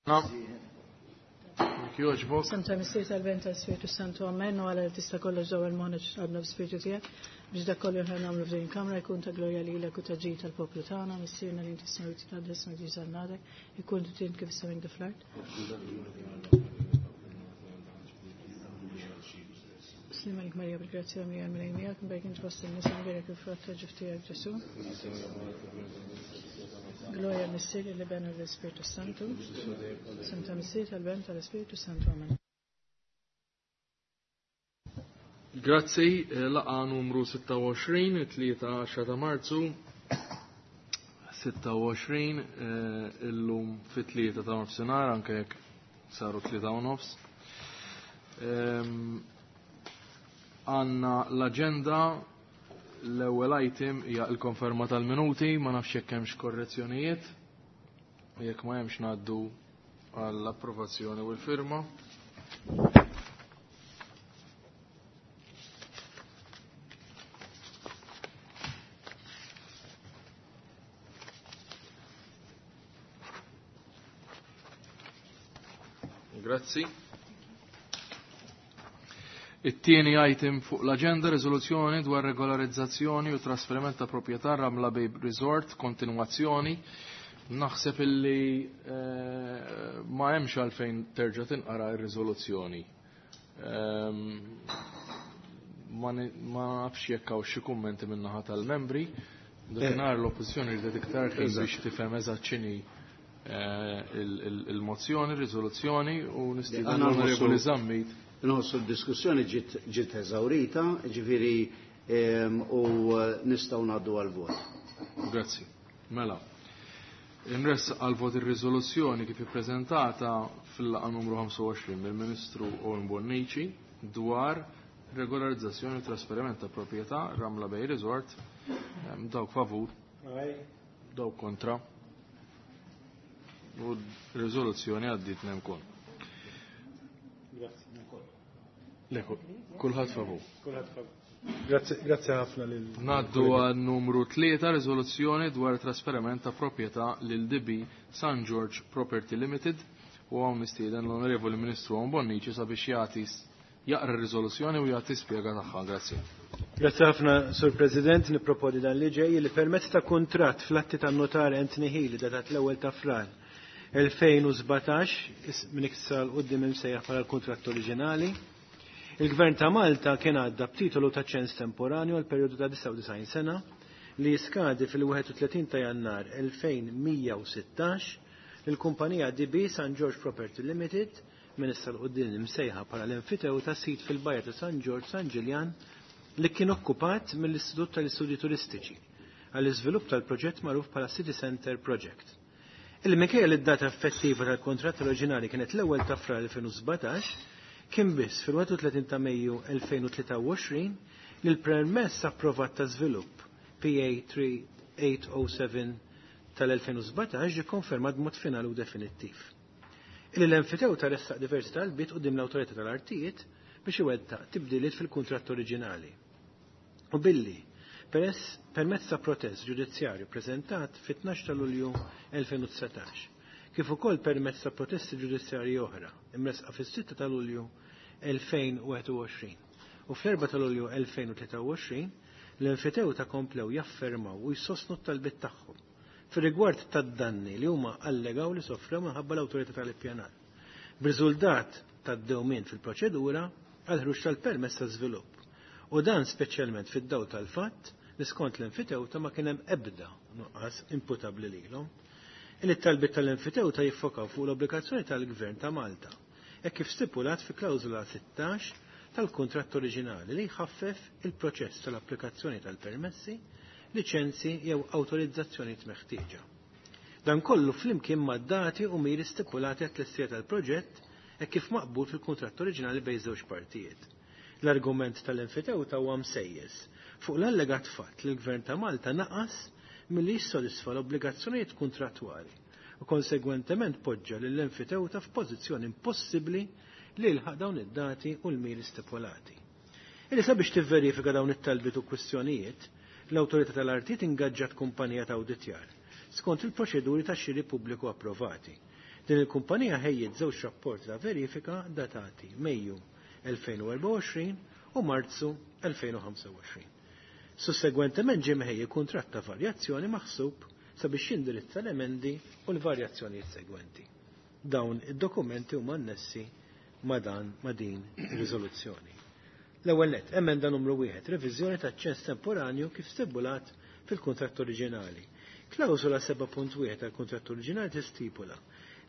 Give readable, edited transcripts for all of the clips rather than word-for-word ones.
Jekk jogħġbok. F'isem tal-Missier tal-Ben tal-Spiritu Santu Amen u għala li tista' kollox dawwal moħħna x'għadna b'Spiritu tiegħek biex dak kollu li nagħmlu f'din il-kamra jkun ta' glorja lilek u ta' ġid tal-poplu tagħna, Missierna li inti smajt titqaddes ismek jiġi għadek, ikun trid kif is-sema kif fl-art. Slim għalik Marija bil-grazzja mija l-Mulej miegħek, mberk int fost in-nisa mberek il-frott ta' ġuf tiegħek Ġesu. Gloria l-Missier, l-Iben u l-Ispirtu Santu. Sem ta' Missier tal-Ben tal-Ispirtu Santu. Amen. Grazzi, laqa numru 26, 3 ta' Marzu, 26, illum fit-3 ta' nofsinhar, anke jekk saru 3 u nofs. Għanna l-agenda, l-ewwel item hija l-konferma tal-minuti, ma nafx jekk hemmx korrezzjonijiet, jekk ma hemmx ngħaddu għall-approvazzjoni u l-firma. Grazzi. It-tieni item fuq l-agenda riżoluzzjoni dwar regolarizzazzjoni u trasferiment ta' proprjetà Ramla Bay Resort, kontinwazzjoni. Naħseb illi ma hemmx għalfejn terġa' tinqara r-riżoluzzjoni. Ma nafx jekk hawn xi kummenti min-naħa tal-membri. Dakinhar l-oppożizzjoni rridet iktar ħin biex tifhem eżatt x'inhi il-mozzjoni, ir-riżoluzzjoni u nistieden l-Onorevoli Zammit. Nħossu d-diskussjoni ġiet eżawrita, ġifieri u nistgħu ngħaddu għal-vot. Grazzi. Mela. Inressaq għal-vot ir-riżoluzzjoni kif ippreżentata fil-laqgħa numru 25 mill-Ministru Owen Bonnici dwar regolarizzazzjoni u trasferiment ta' proprjetà Ramla Bay Resort. Dawk favur. Dawk kontra. U r-riżoluzzjoni għaddiet nemkun. Grazzi. Le, kulħadd favur. Kulħadd favur. Grazzi, grazzi ħafna lil Ngħaddu għal numru 3 riżoluzzjoni dwar trasferiment ta' proprjetà lil DB San George Property Limited u hawn mistieden l-Onorevoli Ministru Owen Bonnici sabiex jagħti jaqra r-riżoluzzjoni u jagħti spjega tagħha. Grazzi. Grazzi ħafna, Sur President, nipproponi dan li ġej li permezz ta' kuntratt fl-atti tan-notar Anthony Healy datat l-ewwel ta' Frar 2017, minn iktar 'l quddiem imsejjaħ bħala l-kuntratt oriġinali. Il-Gvern ta' Malta kien għadda b'titolu ta' ċens temporanju għal perjodu ta' 99 sena li jiskadi fil-31 ta' Jannar 2116 lill-kumpanija DB San George Property Limited minn issa 'l quddiem imsejħa bħala l-enfitewta ta' sit fil-Bajja ta' San George San Ġiljan li kien okkupat mill-Istitut tal-Istudji Turistiċi għall-iżvilupp tal-proġett magħruf bħala City Center Project. Il-minkejja li d-data effettiva tal-kuntratt oriġinali kienet l-ewwel ta' Frar 2017, kien biss fil-31 ta' Mejju 2023 li l-permess approvat ta' żvilupp PA 3807 tal-2017 ġie konfermat b'mod finali u definittiv. Illi l-enfitewta ressaq diversi talbiet quddiem l-Awtorità tal-Artijiet biex iwettaq tibdiliet fil-kuntratt oriġinali. U billi permezz ta' protest ġudizzjarju preżentat fit-12 ta' Lulju 2019, kif ukoll permezz ta' protesti ġudizzjarji oħra imresqa fis-6 ta' Lulju 2021 u fl-4 ta' Lulju 2023, l-enfitewta komplew jaffermaw u jsostnu t-talbiet tagħhom fir-rigward tad-danni li huma allegaw li sofrew minħabba l-awtorità tal-ippjanar. B'riżultat tad-dewmien fil-proċedura għal ħruġ tal-permess ta' żvilupp. U dan speċjalment fid-dawl tal-fatt li skont l-enfitewta ma kien hemm ebda nuqqas imputabbli lilhom. Illi t-talbiet tal-enfitewta jiffokaw fuq l-obbligazzjoni tal-Gvern ta' Malta, hekk kif stipulat fi klawżola 16 tal-kuntratt oriġinali li jħaffef il-proċess tal-applikazzjoni tal-permessi, liċenzi jew awtorizzazzjonijiet meħtieġa. Dan kollu flimkien ma' dati u miri stipulati għat-tlestija tal-proġett hekk kif maqbul fil-kuntratt oriġinali bejn żewġ partijiet. L-argument tal-enfitewta huwa msejjes fuq l-allegat fatt li l-Gvern ta' Malta naqas milli jissodisfa l-obbligazzjonijiet kuntrattwali u konsegwentement poġġa lill-enfitewta f'pożizzjoni impossibbli li jilħaq dawn id-dati u l-miri stipulati. Illi sabiex tivverifika dawn it-talbiet u kwistjonijiet, l-Awtorità tal-Artijiet ingaġġat kumpanija ta' awditjar skont il-proċeduri ta' xiri pubbliku approvati. Din il-kumpanija ħejjiet żewġ rapporti ta' verifika datati Mejju 2024 u Marzu 2025. Sussegwentement ġie mħejji kuntratt ta' varjazzjoni maħsub sabiex jindirizza l-emendi u l-varjazzjonijiet segwenti. Dawn id-dokumenti huma annessi ma' dan ma' din ir-riżoluzzjoni. L-ewwel nett, emenda numru 1, reviżjoni taċ-ċens temporanju kif stipulat fil-kuntratt oriġinali. Klawżola 7.1 tal-kuntratt oriġinali tistipula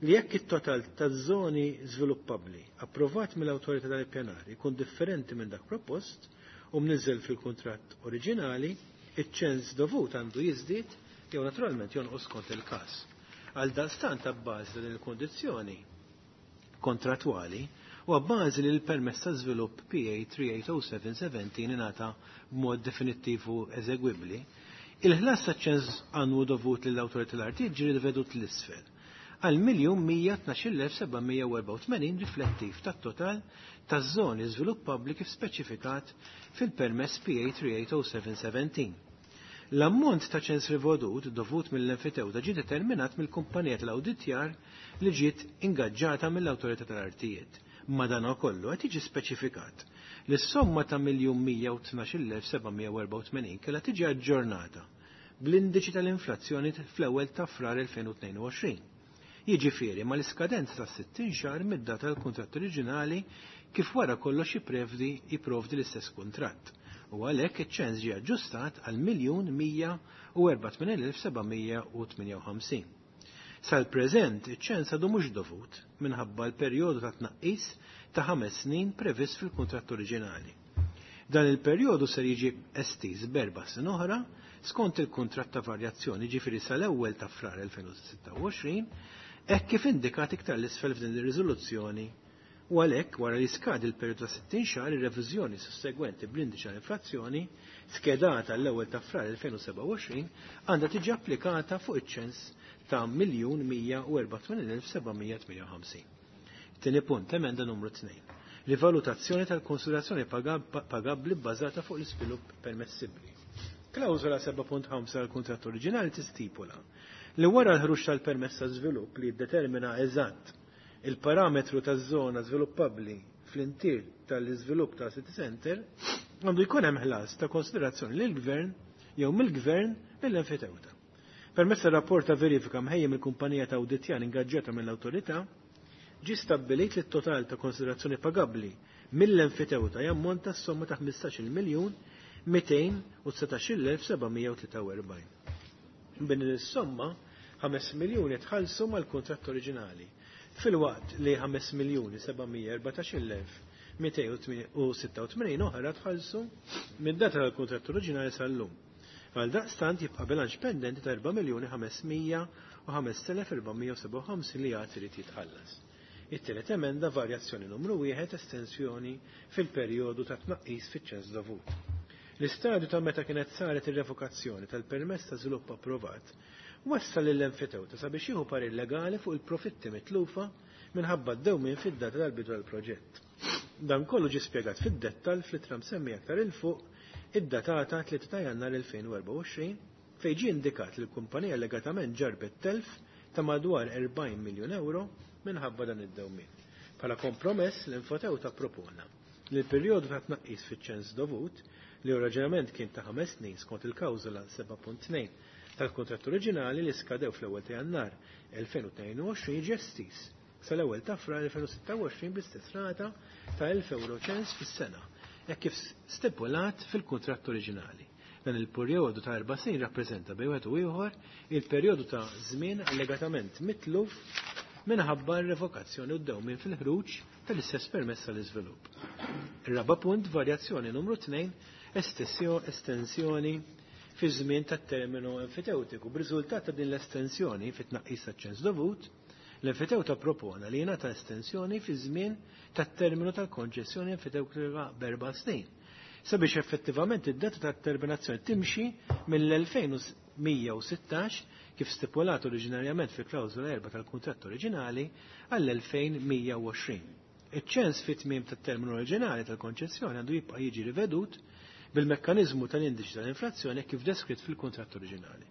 li jekk it-total taż-żoni żviluppabbli approvat mill-awtorità tal-ippjanar ikun differenti minn dak propost u mniżżel fil-kuntratt oriġinali, iċ-ċens dovut għandu jiżdied jew naturalment jonqos skont il-każ. Għal daqstant abbażi ta' din il-kundizzjoni kontrattwali u abbażi li l-permess ta' żvilupp PA 380717 ingħata b'mod definittiv u eżegwibbli, il-ħlas ta' ċens annwu dovut lill-awtorità tal-artijiet ġie rivedut 'l isfel għal 1,112,784 riflettiv tat-total taż-żoni żviluppabbli kif speċifikat fil-permess PA 380717. L-ammont ta' ċens rivedut dovut mill-enfitewta ġie determinat mill-kumpanija tal-awditjar li ġiet ingaġġata mill-awtorità tal-artijiet. Madankollu qed jiġi speċifikat li s-somma ta' 1,112,784 kellha tiġi aġġornata bl-indiċi tal-inflazzjoni fl-ewwel ta' Frar 2022. Jiġifieri mal-iskadenza ta' 60 xahar mid-data tal-kuntratt oriġinali kif wara kollox jipprovdi l-istess kuntratt. U għalhekk iċ-ċens ġie aġġustat għal 1,184,758. Sal-preżent iċ-ċens għadu mhux dovut minħabba l-perjodu ta' tnaqqis ta' 5 snin previst fil-kuntratt oriġinali. Dan il-perjodu ser jiġi estiż b'erba' snin oħra skont il-kuntratt ta' varjazzjoni, ġifieri sal-ewwel ta' Frar 2026, hekk kif indikat iktar l-isfel f'din ir-riżoluzzjoni. U għalhekk wara li skadi l-perjodu ta' 60 xahar ir-reviżjoni sussegwenti bl-indiċi tal-inflazzjoni skedata l-ewwel ta' Frar 2027 għandha tiġi applikata fuq iċ-ċens ta' 1,184,758. Tieni punt, emenda numru 2. Rivalutazzjoni tal-konsiderazzjoni pagabbli bbażata fuq l-iżvilupp permessibbli. Klawżola 7.5 tal-kuntratt oriġinali tistipula li wara l-ħruġ tal-permess ta' żvilupp li jiddetermina eżatt il-parametru taż-żona żviluppabbli fl-intier tal-iżvilupp ta' City Center, għandu jkun hemm ħlas ta' konsiderazzjoni lill-Gvern jew mill-Gvern lill-enfitewta. Permezz tar-rapport ta' verifika mħejjem mill-kumpanija ta' awditjar ingaġġata mill-awtorità, ġie stabbilit li t-total ta' konsiderazzjoni pagabbli mill-enfitewta jammonta s-somma ta' 15,219,743. B'din is-somma 5 miljuni tħallsu mal-kuntratt oriġinali, filwaqt li 5,714,286 oħra tħallsu mid-data tal-kuntratt oriġinali sal-lum. Għal daqstant jibqa' bilanċ pendenti ta' 4,505,457 li għad irid jitħallas. It-tielet emenda varjazzjoni numru 1 estensjoni fil-perjodu ta' tnaqqis fiċ-ċens dovut. L-istadju ta' meta kienet saret ir-revokazzjoni tal-permess ta' żvilupp approvat wassal lill-enfitewta sabiex jieħu parir legali fuq il-profitti mitlufa minħabba d-dewmien fid-data tal-bidu tal-proġett. Dan kollu ġie spjegat fid-dettall fl-ittra msemmija aktar 'il fuq id-datata 3 ta' Jannar 2024 fejn ġie indikat li l-kumpanija allegatament ġarbet telf ta' madwar 40 miljun euro minħabba dan id-dewmien. Bħala kompromess l-enfitewta propona li l-perjodu ta' tnaqqis fiċ-ċens dovut li oriġinament kien ta' 5 snin skont il-klawżola 7.2 tal-kuntratt oriġinali li skadew fl-ewwel ta' Jannar 2022 ġie estiż sal-ewwel ta' Frar 2026 bl-istess rata ta' 1000 euro ċens fis-sena, hekk kif stipulat fil-kuntratt oriġinali. Dan il-perjodu ta' 4 snin rappreżenta bejn wieħed u ieħor il-perjodu ta' żmien allegatament mitluf minħabba r-revokazzjoni u d-dewmien fil-ħruġ tal-istess permess tal-iżvilupp. Ir-raba' punt, varjazzjoni numru 2, estensjoni fi żmien tat-terminu enfiteutiku. B'riżultat ta' din l-estensjoni fit-tnaqqis taċ-ċens dovut, l-enfitewta propona li jingħata estensjoni fi żmien tat-terminu tal-konċessjoni enfitewtika b'erba' snin, sabiex effettivament id-data tat-terminazzjoni timxi mill-2116 kif stipulat oriġinarjament fi klawżola 4 tal-kuntratt oriġinali għall-2120. Iċ-ċens fit tmiem tat-terminu oriġinali tal-konċessjoni għandu jibqa' jiġi rivedut bil-mekkaniżmu tal-indiċi tal-inflazzjoni kif deskritt fil-kuntratt oriġinali.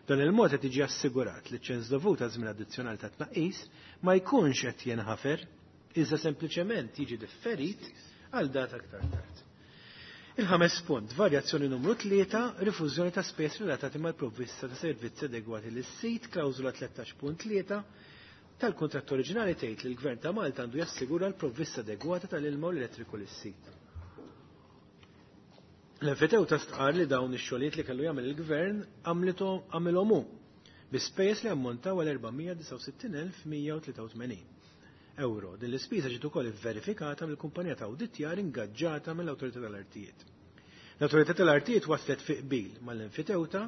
Dan il-mod qed jiġi assigurat li ċens dovut għal żmien addizzjonali ta' tnaqqis ma jkunx qed jinħafer, iżda sempliċement jiġi differit għal data aktar tard. Il-ħames punt, varjazzjoni numru 3, rifużjoni ta' spejjeż relatati mal-provvista ta' servizzi adegwati lis-sit, klawżola 13.3 tal-kuntratt oriġinali tgħid li l-Gvern ta' Malta għandu jassigura l-provvista adegwata tal-ilma u l-elettriku lis-sit. L-enfitewta stqar li dawn ix-xogħlijiet li kellu jagħmel il-Gvern għamilhom hu bi spejjeż li ammontaw għal 469,183 euro. Din l-ispiża ġiet ukoll ivverifikata mill-kumpanija ta' awditjar ingaġġata mill-Awtorità tal-Artijiet. L-Awtorità tal-Artijiet waslet fi qbil mal-enfitewta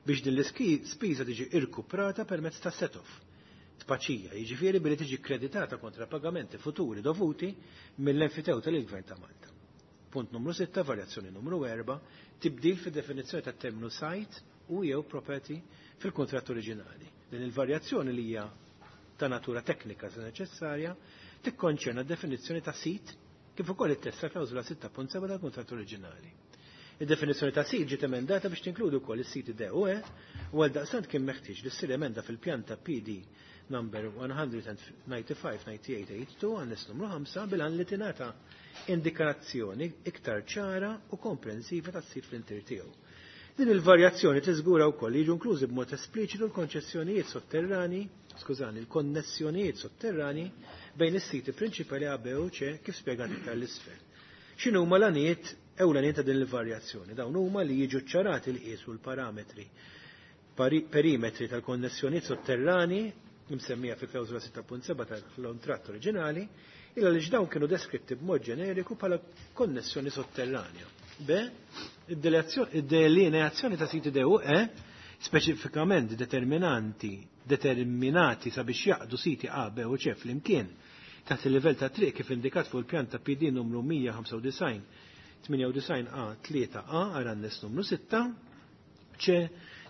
biex din l-ispiża tiġi irkuprata permezz ta' set-off. Tpaċija, jiġifieri billi tiġi kreditata kontra pagamenti futuri dovuti mill-enfitewta lill-Gvern ta' Malta. Punt numru 6, varjazzjoni numru 4, tibdil fid-definizzjoni tat-terminu site u jew property fil-kuntratt oriġinali. Din il-varjazzjoni li hija ta' natura teknika se neċessarja tikkonċerna d-definizzjoni ta' sit kif ukoll it-test ta' klawżola 6.7 tal-kuntratt oriġinali. Id-definizzjoni ta' sit ġiet emendata biex tinkludi wkoll is-siti D u E u għaldaqstant kien meħtieġ li ssir emenda fil-pjanta PD number 195-9882 għannes numru 5 bil-għan li tingħata indikazzjoni iktar ċara u komprensiva tas-sit fl-intier tiegħu. Din il-varjazzjoni tiżgura wkoll li jiġu inklużi b'mod espliċitu l-konċessjonijiet sotterrani, skużani, l-konnessjonijiet sotterrani bejn is-siti prinċipali A, B u C kif spjegat iktar l-isfel. X'inhuma l-għanijiet ewlenin ta' din il-varjazzjoni? Dawn huma li jiġu ċċarati l-qies u l-parametri perimetri tal-konnessjonijiet sotterrani imsemmija fi klawżola 6.7 tal-kontratt oriġinali, illa li dawn kienu deskritti b'mod ġeneriku bħala konnessjoni sotterranja. B. Id-delineazzjoni ta' siti D u E speċifikament determinanti determinati sabiex jaqdu siti A, B u C flimkien taħt il-livell ta' triq kif indikat fuq il-pjan ta' PD numru 195 98 A 3 A għal annes numru 6 C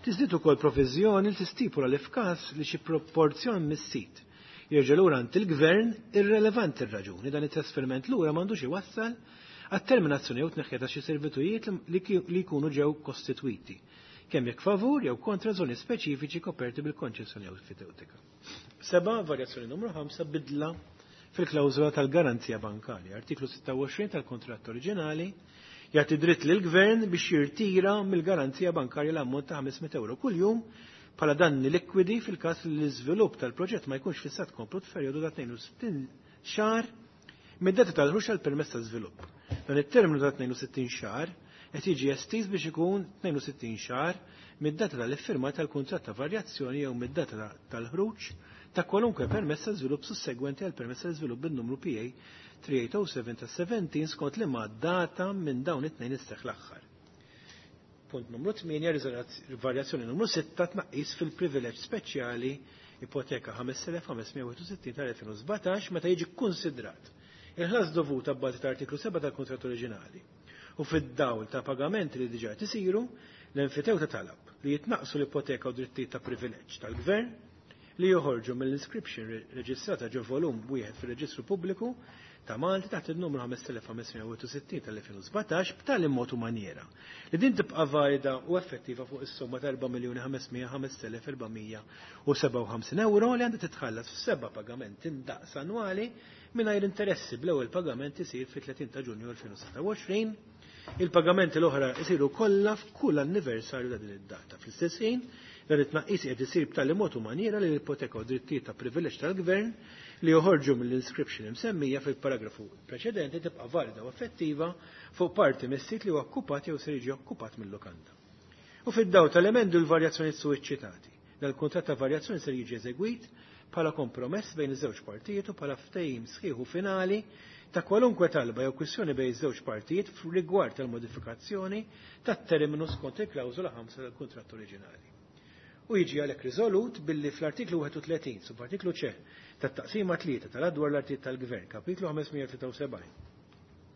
tiżdied ukoll proviżjoni li tistipula li f'każ li xi proporzjon mis-sit jerġa' lura għand il-gvern irrelevanti r-raġuni dan it-trasferiment lura m'għandux iwassal għat-terminazzjoni jew tneħħija ta' xi servitujiet li jkunu ġew kostitwiti, kemm jekk favur jew kontra żoni speċifiċi koperti bil-konċessjoni enfitewtika. 7, varjazzjoni numru 5, bidla fil-klawżola tal-garanzija bankarja. Artiklu 26 tal-kontratt oriġinali jagħti dritt lill-gvern biex jirtira mill-garanzija bankarja l-ammont ta' 500 euro kuljum bħala danni likwidi fil-każ li l-iżvilupp tal-proġett ma jkunx fissat komplut f'perjodu ta' 62 xahar mid-data tal-ħruġ tal-permess ta' żvilupp. Dan it-terminu ta' 62 xahar qed jiġi estiż biex ikun 62 xahar mid-data tal-iffirma tal-kuntratt ta' varjazzjoni jew mid-data tal-ħruġ ta' kwalunkwe permess ta' żvilupp sussegwenti għal permess ta' żvilupp bin-numru PA 3807 ta' 17 skont liema data minn dawn it-tnejn isseħħ l-aħħar. Punt numru 8, varjazzjoni numru 6, tnaqqis fil-privileġġ speċjali ipoteka 5561 tal-2017 meta jiġi kkunsidrat il-ħlas dovut abbażi ta' artiklu 7 tal-kuntratt oriġinali u fid-dawl ta' pagamenti li diġà qed isiru, l-enfitewta talab li jitnaqsu l-ipoteka u drittijiet ta' privileġġ tal-gvern li joħorġu mill-inscription reġistrata ġo volum wieħed fir-Reġistru Pubbliku ta' Malta taħt il-numru 5561 tal-2017 b'tali mod u maniera li din tibqa' valida u effettiva fuq is-somma ta' 4,505,457 euro li għandha titħallas f'seba' pagamenti ndaqs annwali mingħajr interessi bl-ewwel pagament isir fit-30 ta' Ġunju 2026. Il-pagamenti l-oħra jsiru kollha f'kull anniversarju ta' din id-data. Fl-istess ħin, dan it-tnaqqis qed isir b'tali mod u maniera li l-ipoteka u drittijiet ta' privileġġ tal-gvern li joħorġu mill-inscription imsemmija fil-paragrafu preċedenti tibqa' valida u effettiva fuq parti mis-sit li huwa okkupat jew se jiġi okkupat mill-lukanda. U fid-dawl tal-emendi u l-varjazzjonijiet suwiċċitati, dan il-kuntratt ta' varjazzjoni ser jiġi eżegwit bħala kompromess bejn iż-żewġ partijiet u bħala ftehim sħiħ u finali ta' kwalunkwe talba jew kwistjoni bejn iż-żewġ partijiet rigward tal-modifikazzjoni tat-terminu skont il-klawżola 5 tal-kuntratt oriġinali. U jiġi għalhekk riżolut billi fl-artiklu 31 subartiklu C tat-taqsima 3 tal-adwar l-artijiet tal-Gvern, kapitlu 573,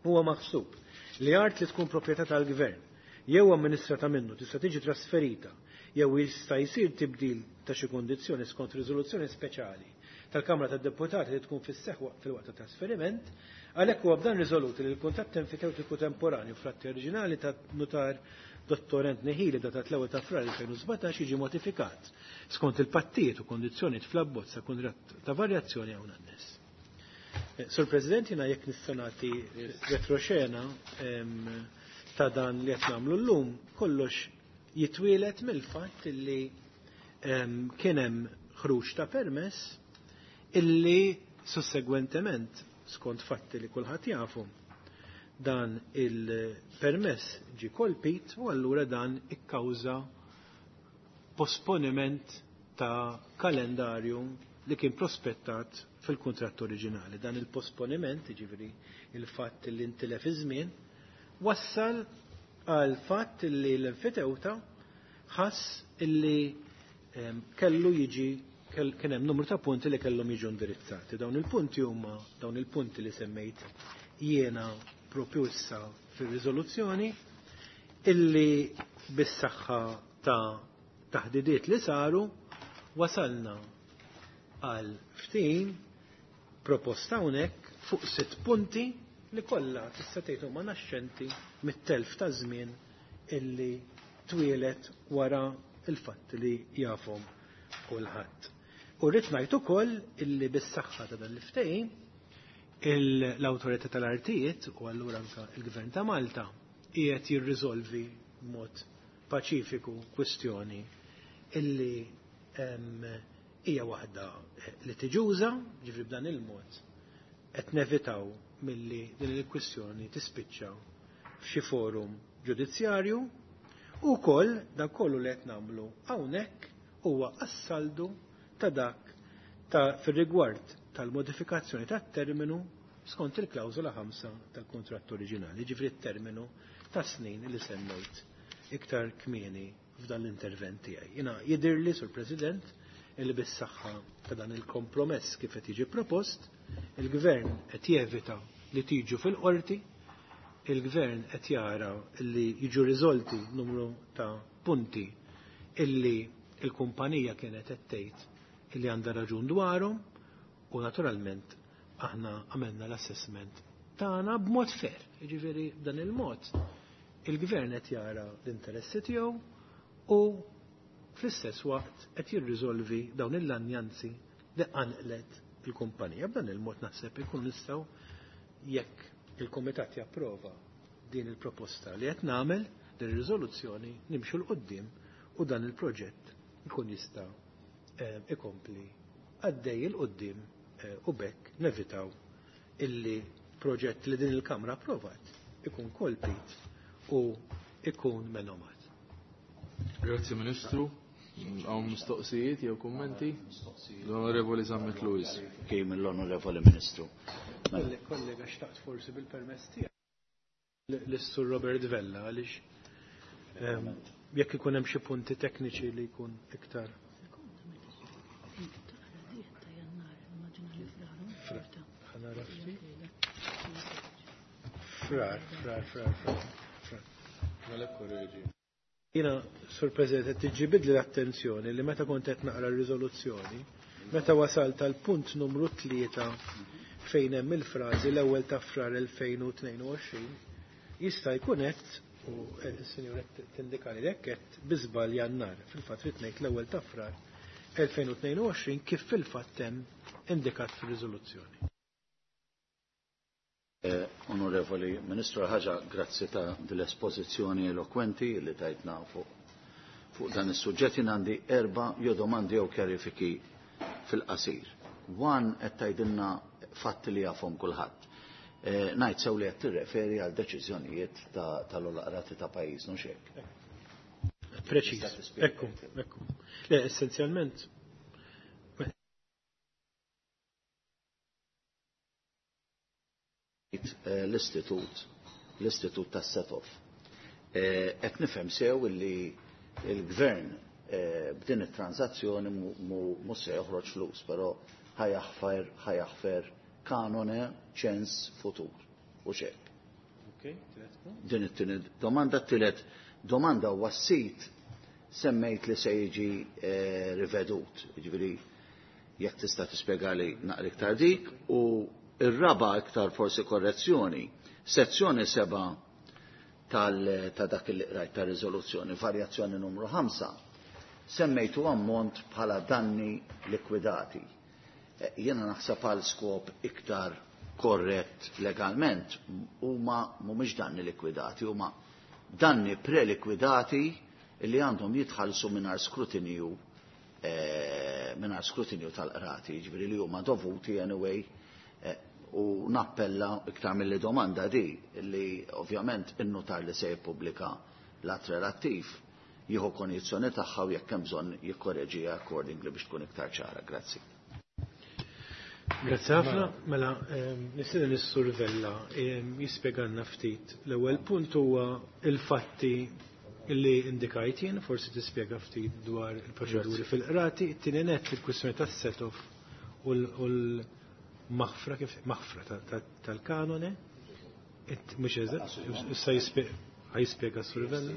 huwa maħsub li art li tkun proprjetà tal-Gvern jew amministrata minnu tista' tiġi trasferita jew jista' jsir tibdil ta' xi kundizzjoni skont riżoluzzjoni speċjali tal-Kamra tad-Deputati li tkun fis-seħħ fil-waqt ta' trasferiment, għalhekk huwa b'dan riżolut li l-kuntratt enfiteutiku temporanju fl-atti oriġinali ta' nutar Dottor Anthony Healy datat l-ewwel ta' Frar 2017 jiġi modifikat skont il-pattijiet u kondizzjonijiet fl-abbozz ta' kuntratt ta' varjazzjoni hawn annes. Sur President, jiena jekk nista' nagħti retroxena ta' dan li qed nagħmlu llum, kollox jitwielet mill-fatt illi kien hemm ħruġ ta' permess illi sussegwentement skont fatti li kulħadd jafu dan il-permess ġi kolpit u allura dan ikkawża posponiment ta' kalendarju li kien prospettat fil-kuntratt oriġinali. Dan il-posponiment, jiġifieri il-fatt li intilef iż-żmien, wassal għal fatt li l-enfitewta ħass illi kellu jiġi kien hemm numru ta' punti li kellhom jiġu indirizzati. Dawn il-punti huma dawn il-punti li semmejt jiena propju issa fir-riżoluzzjoni illi bis-saħħa ta' taħdidiet li saru wasalna għal ftehim proposta hawnhekk fuq 6 punti li kollha tista' tgħid huma naxxenti mit-telf ta' żmien illi twielet wara il-fatt li jafhom kulħadd. U rrid ngħid ukoll illi bis-saħħa ta' dan l-ftehim l-Awtorità tal-Artijiet u allura anke il-Gvern ta' Malta qiegħed jirriżolvi b'mod paċifiku kwistjoni illi hija waħda litiġuża, ġifri b'dan il-mod qed nevitaw milli din il-kwistjoni tispiċċa f'xi forum ġudizzjarju u wkoll dak kollu li qed nagħmlu hawnhekk huwa assaldu ta' dak ta' fir-rigward tal-modifikazzjoni tat-terminu skont il-klawżola 5 tal-kuntratt oriġinali, ġifri t-terminu ta' snin li semmejt iktar kmieni f'dan l-intervent tiegħi. Jiena jidhirli, Sur President, illi bis-saħħa ta' dan il-kompromess kif qed jiġi propost, il-Gvern qed jevita li tiġu fil-qorti, il-Gvern qed jara li jiġu riżolti numru ta' punti illi il-kumpanija kienet qed tgħid illi għandha raġun dwarhom u naturalment aħna għamilna l-assessment tagħna b'mod fair. Jiġifieri b'dan il-mod il-Gvern qed jara l-interessi tiegħu u fl-istess waqt qed jirriżolvi dawn il-lanjanzi li qanqlet il-kumpanija. B'dan il-mod naħseb ikun nistgħu jekk il-Kumitat japprova din il-proposta li qed nagħmel din ir-riżoluzzjoni nimxu l quddiem u dan il-proġett ikun jista' ikompli għaddej il quddiem u bekk nevitaw illi proġett li din il-Kamra approvat ikun kolpit u ikun menomat. Grazzi Ministru. Hawn mistoqsijiet jew kummenti? L-Onorevoli Zammit Lewis. Kien l-Onorevoli Ministru. Kollega, xtaqt forsi bil-permess tiegħek lis-Sur Robert Vella għaliex jekk ikun hemm xi punti tekniċi li jkun iktar. Frar, frar, frar, frar. Mela korreġi. Jiena, Sur President, qed tiġibidli l-attenzjoni li meta kont qed naqra r-riżoluzzjoni, meta wasalt għal punt numru 3 fejn hemm il-frażi l-ewwel ta' frar 2022, jista' jkun qed u s-sinjur qed tindikali li hekk qed bi żball Jannar. Fil-fatt rid ngħid l-ewwel ta' frar 2022 kif fil-fatt hemm indikat fir-riżoluzzjoni. Onorevoli Ministru, ħaġa grazzi ta' dell-espożizzjoni elokwenti li tajtna fuq dan is-suġġett. Jien għandi 4 jew domandi jew kjarifiki fil-qasir. One qed tgħidilna fatti li jafhom kulħadd. Ngħid sew li qed tirreferi għal deċiżjonijiet tal-qrati ta' pajjiż, mhux hekk? Preċiż. Ekku, ekku. Le, essenzjalment l-istitut tas-set-off. Qed nifhem sew illi il-gvern b'din it-transazzjoni mhux se joħroġ flus, però ħajaħfer kanone ċens futur u xek. Din it-tieni domanda, t-tielet domanda huwa s-sit semmejt li se jiġi rivedut, jiġifieri jekk tista' tispjegali naqra iktar dik, u ir-raba iktar forsi korrezzjoni, sezzjoni 7 ta' dak li qrajt ta' riżoluzzjoni, varjazzjoni numru 5, semmejtu ammont bħala danni likwidati. Jiena naħseb għal skop iktar korrett legalment huma mhumiex danni likwidati, huma danni prelikwidati li għandhom jitħallsu mingħajr skrutinju mingħajr skrutinju tal-qrati, jiġifieri li huma dovuti anyway, u nappella iktar mill-li domanda di li ovvjament in-notar li se jippubblika l-att relattiv jieħu konjizzjoni tagħha u jekk hemm bżonn jikkoreġiha accordingly biex tkun iktar ċara. Grazzi. Grazzi ħafna. Mela, nistieden is-Sur Vella jispjegalna ftit. L-ewwel punt huwa il-fatti illi indikajt jien, forsi tispjega ftit dwar il-proċeduri fil-qrati, it-tieni nett il-kwistjoni tas-set-off u l-maħfra kif maħfra tal-kanone, mhux eżatt, issa jispjega s-Sur Vella.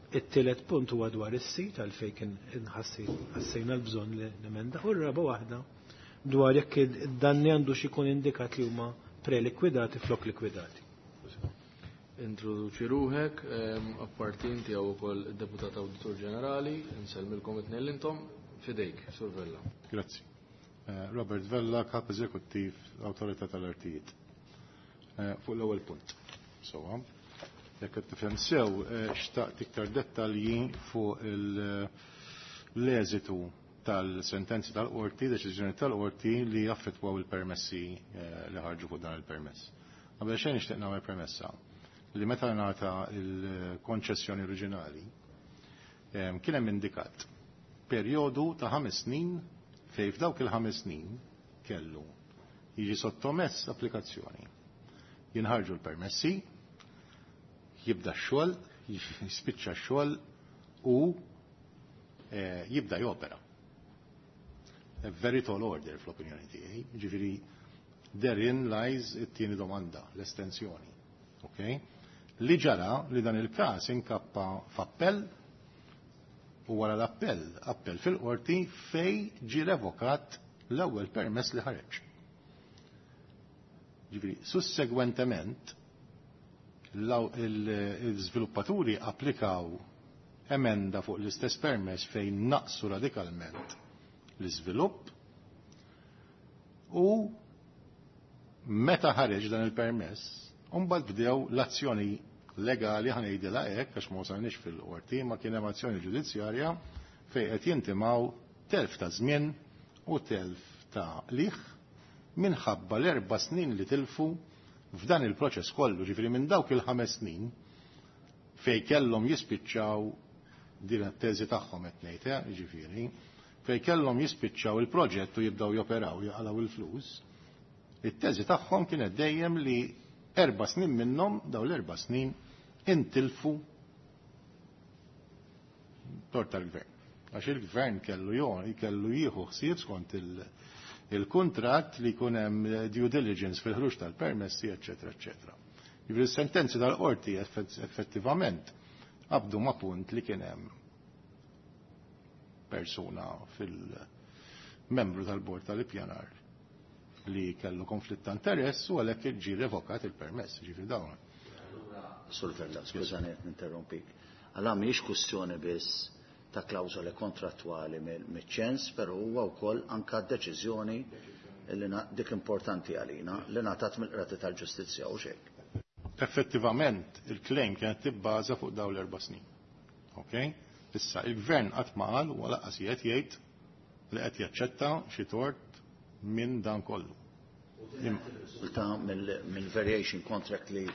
It-tielet punt huwa dwar is-sit għalfejn kien ħassejna l-bżonn li nemenda, u r-raba waħda dwar jekk id-danni għandu xi jkun indikat li huma prelikwidati flok likwidati. Introduċi ruħek, apparti inti hawn ukoll id-Deputat Awditur Ġenerali, insellmilkom it-tnejn intom, fidejk, Sur Vella. Grazzi. Robert Vella, Kap Eżekuttiv, Awtorità tal-Artijiet. Fuq l-ewwel punt. Sowa. Jekk qed tifhem sew, xtaqt iktar dettalji fuq l-eżitu tal-sentenzi tal-qorti, deċiżjoni tal-qorti li jaffettwaw il-permessi li ħarġu fuq dan il-permess. Qabel xejn nixtieq nagħmel premessa li meta ngħata il-konċessjoni oriġinali kien hemm indikat perjodu ta' 5 snin fejn f'dawk il-5 snin kellu jiġi sottomess applikazzjoni. Jinħarġu l-permessi, jibda x-xogħol, jispiċċa x-xogħol u jibda jopera. A very tall order fl-opinjoni tiegħi, ġifieri therein lies it-tieni domanda, l-estensjoni. Okay? Li ġara li dan il-każ inkappa f'appell u wara l-appell, appell fil-qorti fej ġi revokat l-ewwel permess li ħareġ. Ġifieri, sussegwentement il-żviluppaturi applikaw emenda fuq l-istess permess fejn naqsu radikalment l-iżvilupp u meta ħareġ dan il-permess, mbagħad bdew l-azzjoni legali, ħa ngħidilha hekk għax ma wasalniex fil-qorti, ma kien hemm azzjoni ġudizzjarja fejn qed jintimaw telf ta' żmien u telf ta' liħ minħabba l-4 snin li tilfu f'dan il-proċess kollu, ġifieri minn dawk il-5 snin fej kellhom jispiċċaw, din it-teżi tagħhom qed ngħid, ġifieri, fej kellhom jispiċċaw il-proġett u jibdew joperaw jaqalgħu il-flus, it-teżi tagħhom kienet dejjem li 4 snin minnhom, daw l-4 snin, intilfu tort tal-gvern. Għax il-gvern kellu jieħu ħsieb skont il-kuntratt li jkun hemm due diligence fil-ħruġ tal-permessi, eċetera, eċetera. Jiġifieri s-sentenzi tal-qorti effettivament qabdu ma' punt li kien hemm persuna fil-membru tal-bord tal-ippjanar li kellu konflitt ta' interess u għalhekk ġie revokat il-permess, ġifieri dawn. Sur Vella, skużani qed ninterrompik. Allora mhijiex kwestjoni biss ta' klawżoli kontrattwali miċ-ċens, però huwa wkoll anka deċiżjoni li dik importanti għalina li ngħatat mill-Qrati tal-Ġustizzja u xejn. Effettivament il-claim kienet tibbaża fuq dawn l-4 snin. Ok? Issa il-gvern qatt ma qal u lanqas qed jgħid li qed jaċċetta xi tort minn dan kollu. Ta' mill-variation contract li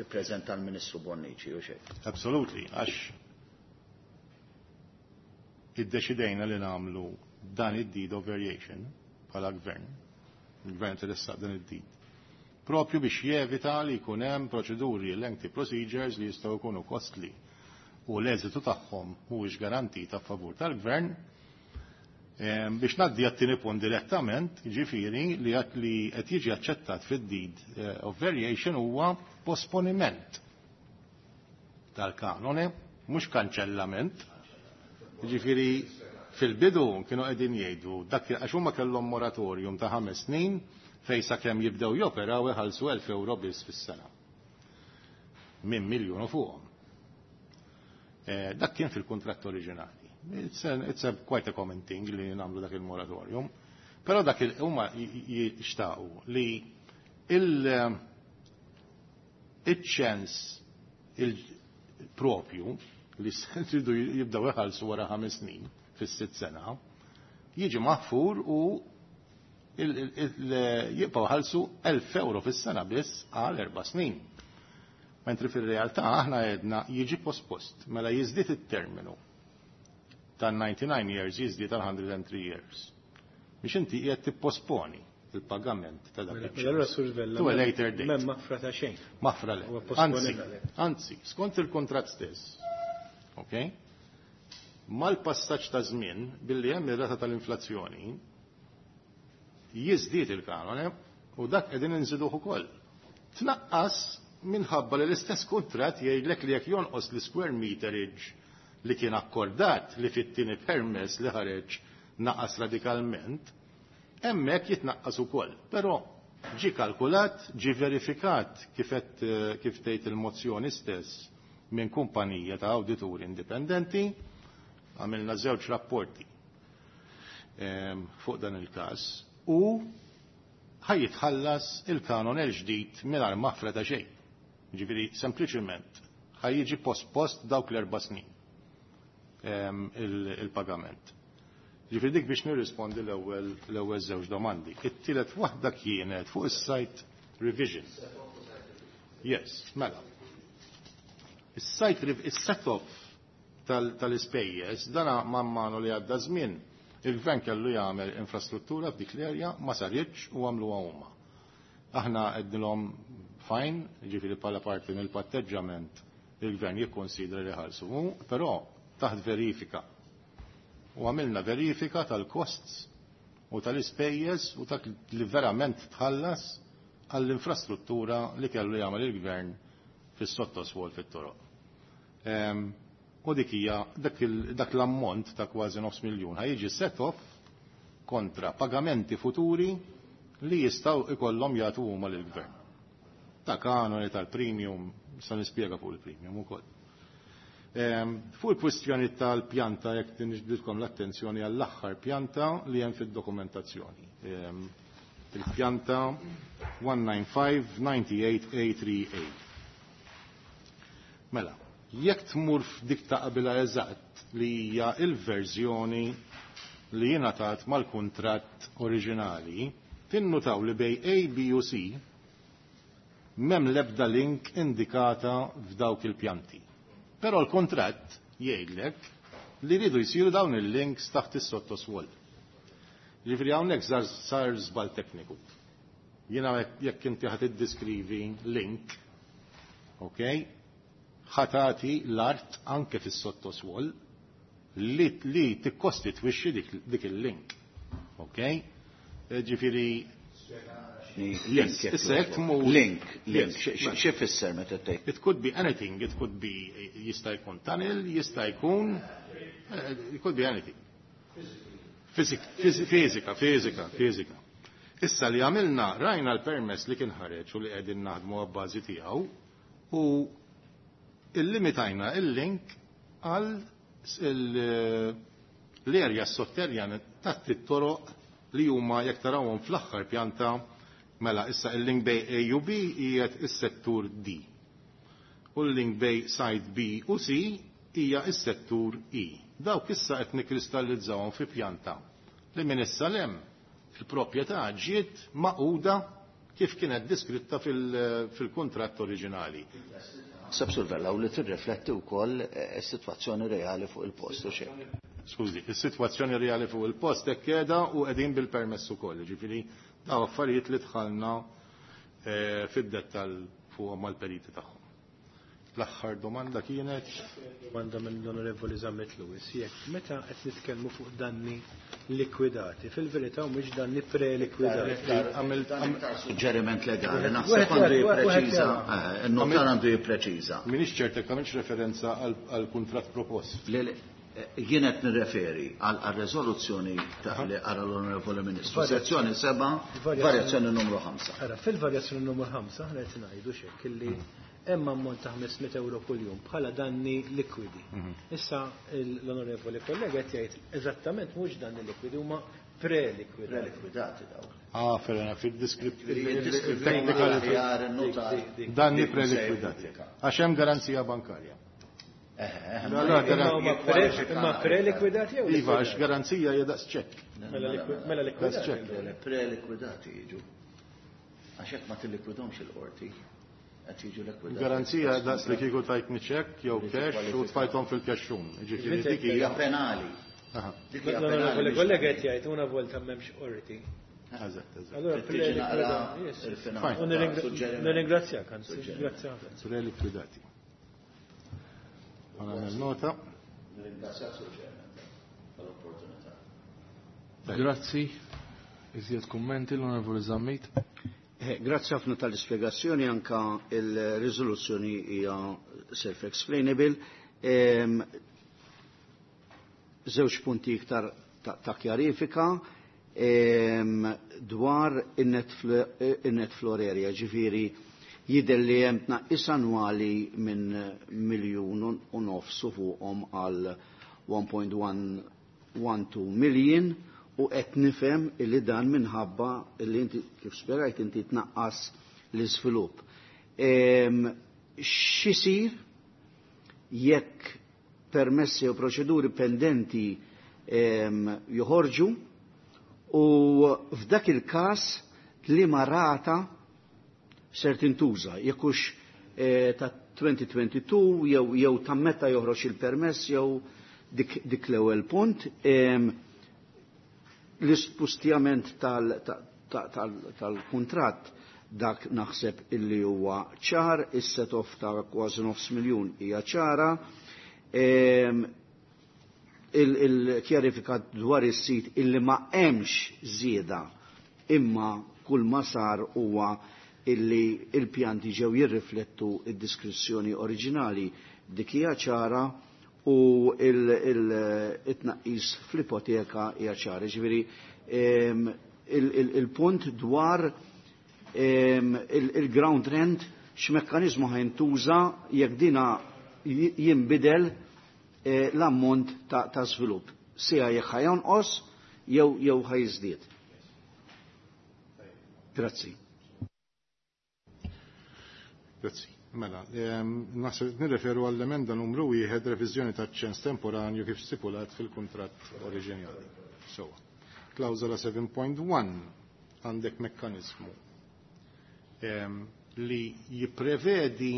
preżenta l-Ministru Bonnici u xejn. Absolutely, għax iddeċidejna li nagħmlu dan id-deed of variation bħala gvern, il-gvern tressaq dan id-deed, propju biex jevita li jkun hemm proċeduri, lengthy procedures li jistgħu jkunu costly u l-eżitu tagħhom mhuwiex garantita a favur tal-gvern. Biex ngħaddi għat-tieni punt direttament, ġifieri li qed jiġi aċċettat fid-deed of variation huwa posponiment tal-kanone, mhux kanċellament. Ġifieri fil-bidu kienu qegħdin jgħidu dak għax huma kellhom moratorium ta' 5 snin fejn sakemm jibdew joperaw iħallsu 1000 euro biss fis-sena. minn miljun u fuqhom. Dak kien fil-kuntratt oriġinali. It's a quite a common thing li nagħmlu dak il-moratorium. Però dak huma jixtaqu li il-ċens il-propju li tridu jibdaw iħallsu wara 5 snin fis-sitt sena, jiġi maħfur u jibqgħu ħalsu 1000 euro fis-sena biss għal 4 snin. Mentri fil-realtà aħna għedna jiġi pospost, mela jiżdied it-terminu tan-99 years jiżdied tal 103 years. Biex inti qiegħed tipposponi il-pagament ta' dak Mela il To a later date. M'hemm maħfra ta' xejn. Maħfra le. Anzi, anzi, skont il-kontrat stess, ok? Mal-passaġġ ta' żmien billi hemm ir-rata tal-inflazzjoni jiżdied il-kanone u dak qegħdin inżiduh ukoll. Tnaqqas minħabba li l-istess kontrat jgħidlek li jekk jonqos l-square meterage li kien akkordat li fit-tieni permess li ħareġ naqas radikalment, hemmhekk jitnaqqas ukoll. Però ġi kalkulat, ġi verifikat kif tgħid il-mozzjoni stess minn kumpanija ta' awdituri indipendenti, għamilna żewġ rapporti fuq dan il-każ u ħa jitħallas il-kanon il-ġdid mingħajr maħfra ta' xejn. Ġifieri sempliċement ħa jiġi post-post dawk l-4 snin il-pagament. Ġifieri dik biex nirrispondi l-ewwel żewġ domandi. It-tielet waħda kienet fuq is-site revision. Yes, mela. Is-site is-set-off tal-ispejjeż dana man manu li għadda żmien il-gvern kellu jagħmel infrastruttura f'dik l-erja, ma saritx u għamluha huma. Aħna għednilhom fine, ġifieri bħala parti mill-patteġġament il-gvern jikkonsidra li ħalsu, però taħt verifika. U għamilna verifika tal-costs u tal-ispejjeż u dak li verament tħallas għall-infrastruttura li kellu jagħmel il-gvern fis-sottoswol fit-toroq. U dik hija dak l-ammont ta' kważi nofs miljun ħa jiġi set off kontra pagamenti futuri li jistgħu ikollhom jagħtu huma lill-gvern. Ta' kanoni tal-premium, sa nispjega fuq il-premium ukoll. Fuq il-kwistjoni tal-pjanta, jekk niġbidkom l-attenzjoni għall-aħħar pjanta li hemm fid-dokumentazzjoni. Il-pjanta 195-98A3A. Mela, jekk tmur f'dik ta' qabilha eżatt li hija il-verżjoni li jingħatat mal-kuntratt oriġinali, tinnutaw li bejn A, B u C m'hemm l-ebda link indikata f'dawk il-pjanti. Però l-kontratt jgħidlek li ridu jsiru dawn il-links taħt is-sottoswol. Ġifieri hawnhekk sar żball tekniku. Jiena jekk inti ħa tiddiskrivi link, ok, ħa tagħti l-art anke fis-sottoswol li tikkostitwixxi dik il-link. Ok? Ġifieri Link. Issa jekk tmur Link, link. Xi fisser meta tgħid? It could be anything, it could be jista' jkun tunnel, jista' jkun it could be anything. Fizika, fizika, fizika. Issa li għamilna, rajna l-permess li kien ħareġ u li qegħdin naħdmu għabbażi tiegħu u illimitajna il-link għal l-erja sotterjan taħt it-toroq li huma jekk tarawhom fl-aħħar pjanta. Mela issa il-link bejn A u B qiegħed is-settur D. U l-link bejn side B u C hija is-settur E. Dawk issa qed nikkristallizzawhom fi pjanta li minn issa lem il-proprjetà ġiet maquda kif kienet diskritta fil-kuntratt oriġinali. Sab Vella, u li tirrifletti wkoll is-sitwazzjoni reali fuq il-post u xejn. Skużi, is-sitwazzjoni reali fuq il-post hekk qiegħda u qegħdin bil-permess ukoll, ġifieri daw affarijiet li dħalna fid-dettall fuq mal-periti tagħhom. L-aħħar domanda kienet Domanda mill-Onorevoli Zammit Lewis, jekk meta qed nitkellmu fuq danni likwidati, fil-verità mhux danni prelikwidati. Suġġeriment legali, naħseb għandu jippreċiża, il-notar għandu jippreċiża. Minix ċert jekk għamilx referenza għal kuntratt propost. Jien qed nirreferi għal rezoluzzjoni ta' li qara l-Onorevoli Ministru. Sezzjoni 7, varjazzjoni numru 5. Ara, fil-varjazzjoni numru 5 aħna qed ngħidu xek illi Hemm ammont ta' 500 euro kuljum bħala danni likwidi. Issa l-onorevoli kollega qed jgħid eżattament mhux danni likwidi, huma prelikwidati. Prelikwidati dawk. Ah, ferena, fil-diskript, Il-technical il-technical danni prelikwidati. Għax hemm garanzija bankarja. Imma prelikwidati jew? Iva, għax garanzija hija daqs ċekk. Mela likwidati. Prelikwidati jiġu. Għax hekk ma tillikwidhomx il-qorti. Qed jiġu likwidati. Garanzija daqs li kieku tajtni ċekk jew cash u tfajthom fil-kexxun. Ġifieri dik hija penali. Dik hija penali. Kollega qed jgħid una volta m'hemmx qorti. Eżatt, eżatt. Allora nirringrazzjak, anzi, grazzi ħafna. Prelikwidati. Għana nota. Nirringrazzjak, Sur Chairman, tal-opportunità. Grazzi. Iżjed kummenti l-Onorevoli Zammit. Grazzi ħafna tal-ispjegazzjoni, anka il-riżoluzzjoni hija self-explainable. Żewġ punti iktar ta' kjarifika dwar in-net floor area, ġifieri jidher li hemm tnaqqis annwali minn 1.5 miljon fuqhom għal 1.112 million u qed nifhem illi dan minħabba illi inti kif spjegajt inti tnaqqas l-iżvilupp. X'isir jekk permessi u proċeduri pendenti joħorġu u f'dak il-każ liema rata ser tintuża, jekk hux ta' 2022 jew ta' meta joħroġ il-permess jew dik l-ewwel punt. L-ispustjament tal-kuntratt dak naħseb illi huwa ċar, is-set-off ta' kważi 500,000 hija ċara. Il-kjarifika dwar is-sit illi ma hemmx żieda imma kull ma sar huwa illi il-pjanti ġew jirriflettu id-diskrizzjoni oriġinali, dik hija ċara u il-tnaqqis fl-ipoteka hija ċara. Ġifieri il-punt dwar il-ground rent x'mekkaniżmu ħajntuża jekk dina jinbidel l-ammont ta' żvilupp. Sija jekk ħajonqos jew ħajżdied. Grazzi. Grazzi. Mela, naħseb nirreferu għall-emenda numru 1 reviżjoni ta' ċens temporanju kif stipulat fil-kuntratt oriġinali. So, klawżola 7.1 għandek mekkanizmu li jipprevedi,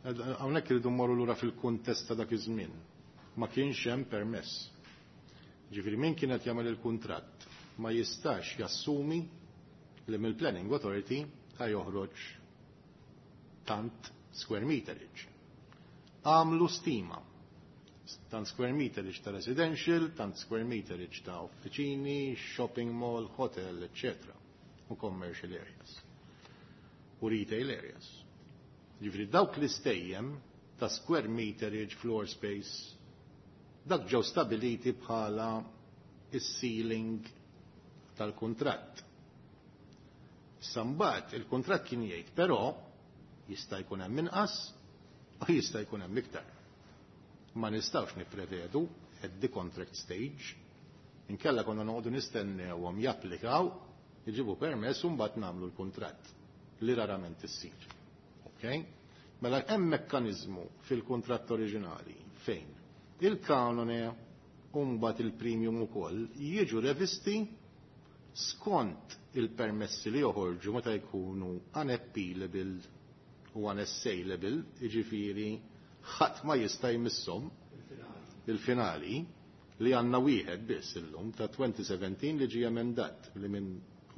hawnhekk irridu mmorru lura fil-kuntest ta' dak iż-żmien. Ma kienx hemm permess. Ġifieri min kienet jagħmel il-kuntratt ma jistax jassumi li mill-Planning Authority ħa joħroġ tant square meterage. Għamlu stima. Tant square meterage ta' residential, tant square meterage ta' uffiċini, shopping mall, hotel, etc. U commercial areas. U retail areas. Ġifieri dawk l-istejjem ta' square meterage, floor space, dak ġew stabiliti bħala is-ceiling tal-kuntratt. Sambat il-kuntratt kien jgħid, però jista' jkun hemm inqas u jista' jkun hemm iktar. Ma nistgħux nipprevedu at the contract stage, inkella konna noqogħdu nistennewhom japplikaw, jġibu permess u mbagħad nagħmlu l-kuntratt li rarament issir. Okay? Mela hemm mekkaniżmu fil-kuntratt oriġinali fejn il-kanone u mbagħad il-premium ukoll jiġu revisti skont il-permessi li joħorġu meta jkunu unappealable u unassailable, jiġifieri ħadd ma jista' jmisshom il-finali li għandna wieħed biss illum ta' 2017 li ġie emendat li minn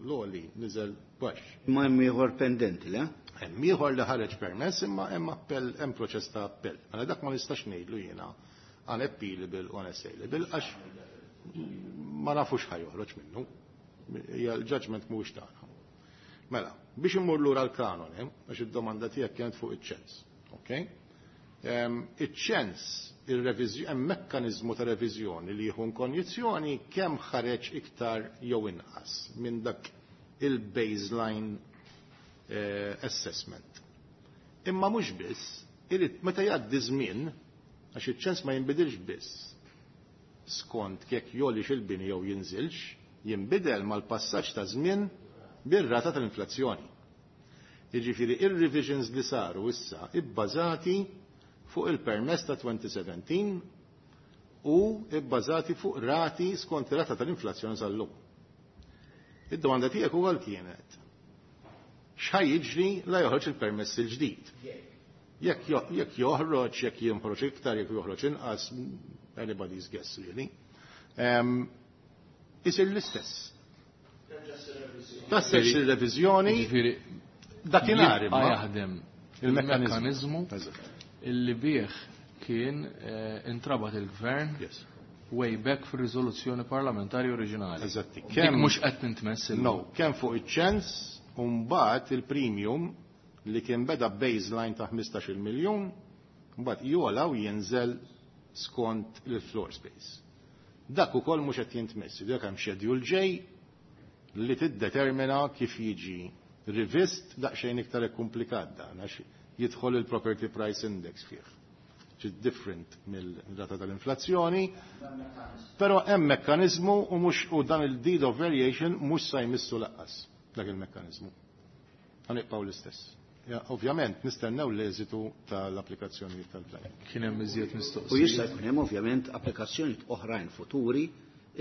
l-għoli niżel baxx. Ma hemm ieħor pendenti, le? Hemm ieħor li ħareġ permess imma hemm appell, hemm proċess ta' appell. Mela dak ma nistax ngħidlu jiena unappealable u unassailable għax ma nafux ħa joħroġ minnu. Hija l-judgment mhuwiex tagħna. Mela, biex immur lura l-kanone, għax id-domanda tiegħek kienet fuq iċ-ċens, okay? Iċ-ċens, hemm mekkaniżmu ta' reviżjoni li jieħu konjizzjoni kemm ħareġ iktar jew inqas minn dak il-baseline assessment. Imma mhux biss, Irid meta jgħaddi żmien, għax iċ-ċens ma jinbidilx biss skont jekk jogħlix il-bini jew jinżilx, jinbidel mal-passaġġ ta' żmien bir-rata tal-inflazzjoni. Jiġifieri ir-revisions li saru issa ibbażati fuq il-permess ta' 2017 u ibbażati fuq rati skont rata tal-inflazzjoni sal-lum. Id-domanda tiegħek ukoll kienet x'ħa jiġri la joħroġ il-permess il-ġdid. Jekk joħroġ, jekk jinħroġ iktar, jekk joħroġ inqas, anybody's guess really. Isir l-istess. Tassex il-reviżjoni dakinhar imma jaħdem il-mekkaniżmu illi bih kien intrabat il-gvern way back fir-riżoluzzjoni parlamentari oriġinali. Eżatti. Kemm mhux qed tintmess No, kemm fuq iċ-ċens u mbagħad il-premium li kien beda baseline ta' 15 miljun, mbagħad jogħla u jinżel skont il-floor space. Dak ukoll mhux qed jintmess, dak hemm schedule J li tiddetermina kif jiġi rivist daqsxejn iktar komplikat dan għax jidħol il-property price index fih. Ġi different mill-data tal-inflazzjoni, però hemm mekkaniżmu u mhux u dan il-deed of variation mhux sa jmissu lanqas dak il-mekkaniżmu. Ħa nibqgħu l-istess. Ja, ovvjament nistennew l-eżitu tal-applikazzjoni tal-planning. Kien hemm iżjed mistoqsijiet. U jista' jkun hemm ovvjament applikazzjonijiet oħrajn futuri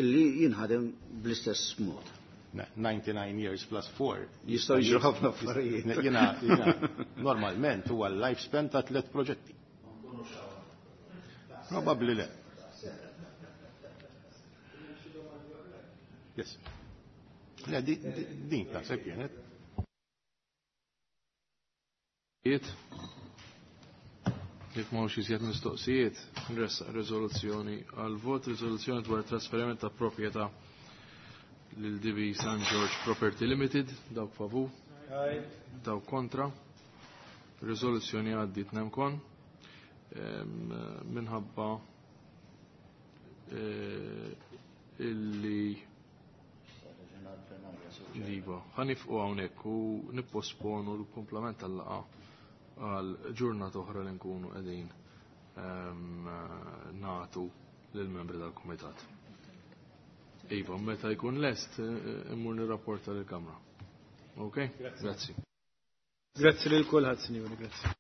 illi jinħadem bl-istess mod. 99 years plus 4. Jistgħu jiġru ħafna affarijiet. Jiena normalment huwa l-lifespan ta' tliet proġetti. Probabbli le. Yes. Le, din taħseb kienet. Jekk m'hawnx iżjed mistoqsijiet, nressaq riżoluzzjoni għal vot, riżoluzzjoni dwar trasferiment ta' proprjetà lil DB San George Property Limited, dawk favur, dawk kontra. Riżoluzzjoni għaddiet nemkon minħabba illi Iva, ħa nieqfu hawnhekk u nipposponu l-komplement tal-laqgħa għal ġurnata oħra li nkunu qegħdin nagħtu lill-membri tal-kumitat. Iva, meta jkun lest immur nirrapporta lill-Kamra. Ok? Grazzi. Grazzi lil kulħadd, sinjuri, grazzi.